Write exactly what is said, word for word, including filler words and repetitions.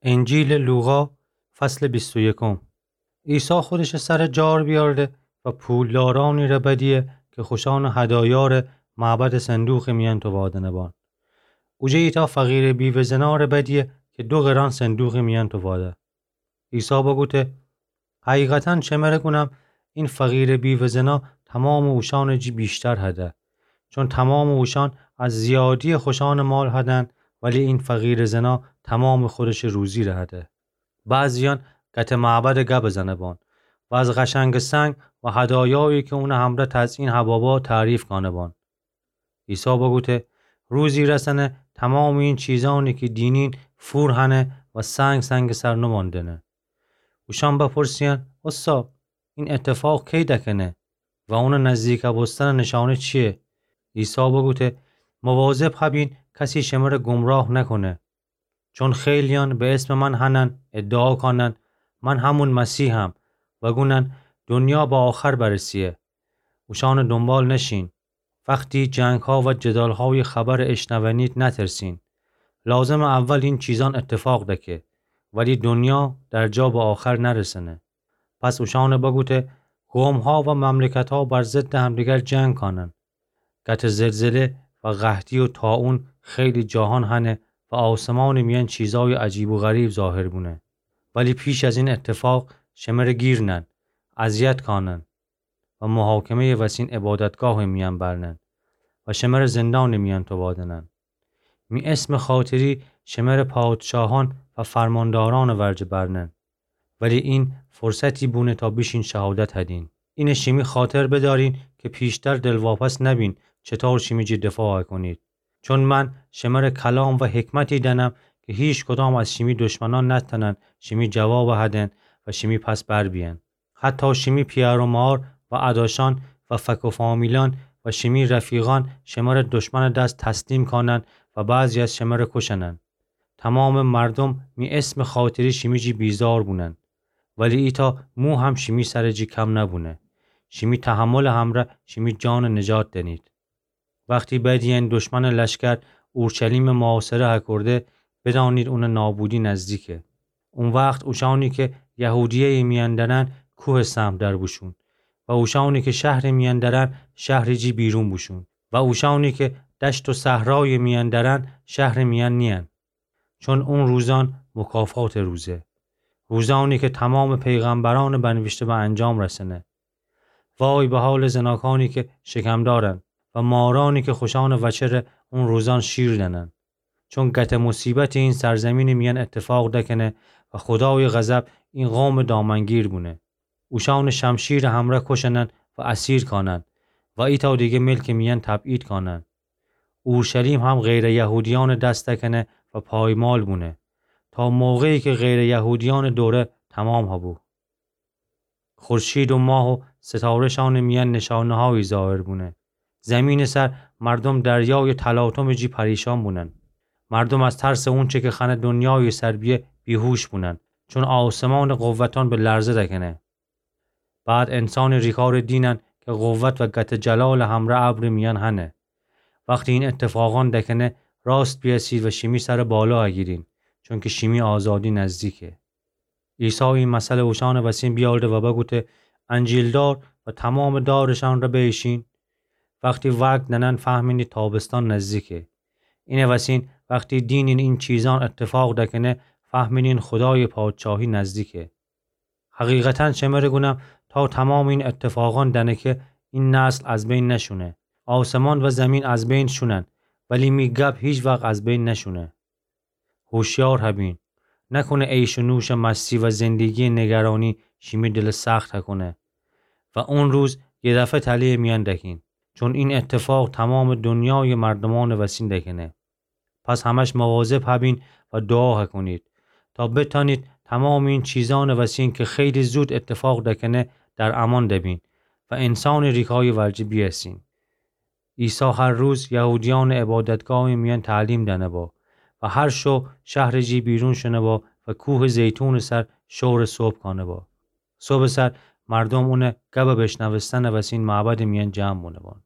انجیلٚ لوقا، فصلٚ بیست و یکم. عیسی خودشٚ سرَ جار بیأرده و پولدارأنی ره بدیه کی خوشأنٚ هدایا ره معبدٚ صندوقٚ میأن تووادنه بان. اوجه ایتأ فقیرٚ بیوه‌زنا ره بدیه کی دو قران صندوقٚ میأن توواده. عیسی بوگوته: حقیقتاً شمره گونم، این فقیرٚ بیوه‌زنا تومامٚ اوشأنٚ جی ویشتر هده. چون تومامٚ اوشأن از زیادیٚ خوشأنٚ مال هدن، ولی این فقیرٚ زنا تومامٚ خودشٚ روزی ره هده. بعضیأن گتٚ معبدٚ گب زنه بان و از قشنگٚ سنگ و هدایایی کی اونٚ همرأ تزئین هبه با تعریف کانه بان. عیسی بوگوته: روزی رسنه تومامٚ این چیزأنی کی دینین فور هنه و سنگ سنگٚ سر نوماندنه. اوشأن بپرسییدن: اوستا، این اتفاق کی دکنه و اونٚ نزدیک بوستنٚ نشانه چییه؟ عیسی بوگوته: مواظب هبین کسی شمره گمراه نکونه. چون خیلیأن به اسمٚ من هنن، ادعا کانن: من همون مسیحم، و گونن: دنیا به آخر برسییه. اوشأنٚ دونبال نشین. وختی جنگها و جدالهایٚ خبرٚ اشنونید نترسین. لازمه اول این چیزأن اتفاق دکه، ولی دنیا در جا به آخر نرسنه. پس اوشأنٚ بوگوته: قومها و مملکتها بر ضدٚ همدیگر جنگ کانن. گتٚ زلزله و قحطی و طاعون خیلی جاهان هنه و آسمانٚ میأن چیزأیٚ عجیب و غریب ظاهر بونه. ولی پیش از این اتفاق شمره گیرنن، اذیت کانن و محاکمهٔ وسین عبادتگاهٚ میأن برنن و شمره زندانٚ میأن تووادنن. می اسمٚ خاطری شمره پادشاهأن و فرماندارأنٚ ورجه برنن. ولی این فرصتی بونه تا بیشین شهادت هدین. اینه شیمی خاطر بدارین که پیشتر دلواپس نبین چطور شیمی جی دفاع کنید. چون من شمره کلام و حکمتی دنم که هیچ کدام از شیمی دشمنان نتنن شیمی جواب هدن و شیمی پس بر بیین. حتی شیمی پیار و مار و اداشان و فک و فامیلان و شیمی رفیقان شمره دشمنٚ دس تسلیم کانن و بعضی از شمره کشنن. تمامٚ مردم می اسمٚ خاطری شیمی جی بیزار بونن، ولی ایتأ مو هم شیمی سرٚ جی کم نبونه. شیمی تحملٚ همرأ شیمی جانٚ نجات دنید. وختی بدیین دشمنٚ لشکر اورشلیمٚ محاصره هکرده، بدانید اونٚ نابودی نزدیکه. او وخت اوشأنی که یهودیه‌یٚ میأن درن کوهٚ سهم در بوشون و اوشأنی که شهرٚ میأن درن شهرٚ جی بیرون بوشون و اوشأنی که دشت و صحرایٚ میأن درن شهرٚ میأن نیین. چون او روزأن مکافاتٚ روزه، روزأنی که تمامٚ پیغمبرأنٚ بنویشته به انجام رسنه. وای به حالٚ زناکأنی که شکم دارن و مارأنی که خوشأنٚ وچه ره او روزأن شیر دنن. چون گته مصیبتی این سرزمینٚ میأن اتفاق دکنه و خودایٚ غضب این قومٚ دامنگیر بونه. اوشأنٚ شمشیرٚ همرأ کشنن و اسیر کانن و ایتأ دیگه ملکٚ میأن تبعید کانن. اورشلیم هم غیرٚ یهودیأنٚ دس دکنه و پایمال بونه، تا موقعی که غیرٚ یهودیأنٚ دوره تمام هبو. خورشید و ماه و ستاره‌شأنٚ میأن نشانه‌هایی ظاهر بونه. زمینٚ سر مردم دریایٚ تلاطمٚ جی پریشان بونن. مردم از ترسٚ اونچه که خأنه دنیایٚ سر بیه بیهوش بونن، چون آسمانٚ قوتأن به لرزه دکنه. بعد انسانٚ ریکارٚ دینن که قوت و گته جلالٚ همرأ ابرٚ میأن هنه. وختی این اتفاقأن دکنه، راست بیأسید و شیمی سرٚ بالا اگیرین، چونکه شیمی آزادی نزدیکه. عیسی این مثلٚ اوشأنٚ وسین بیاورده و بگوته: انجیل‌دار و تمامٚ دارشأن ره بیشین. وختی وگد دنن، فهمینید تابستان نزدیکه. اینٚ وسین وختی دینین این چیزأن اتفاق دکنه، فهمینید خودایٚ پادشاهی نزدیکه. حقیقتاً شمره گونم، تا تمامٚ این اتفاقأن دنکه، این نسل از بین نشونه. آسمان و زمین از بین شونن، ولی می گب هیچ وقت از بین نشونه. هوشیار هبین، نکنه عیش و نوشٚ مستی و زندگیٚ نگرانی شیمی دلٚ سخت هکنه و او روز یه دفعه تله‌یٚ میأن دکین، چون این اتفاق تمامٚ دنیایٚ مردومأنٚ وسین دکنه. پس همش مواظب هبین و دوعا هکنید، تا بتأنید تمامٚ این چیزأنٚ وسین که خیلی زود اتفاق دکنه، در امان دبین و انسانٚ ریکایٚ ورجه بیأسین. عیسی هر روز یهودیأنٚ عبادتگاهٚ میأن تعلیم دأنه با و هر شو شهرٚ جی بیرون شونه با و کوهٚ زیتونٚ سر شورٚ صبح کانه با. صبحٚ سر مردوم اونٚ گبٚ بشنوستنٚ وسین معبدٚ میأن جمع بونه بان.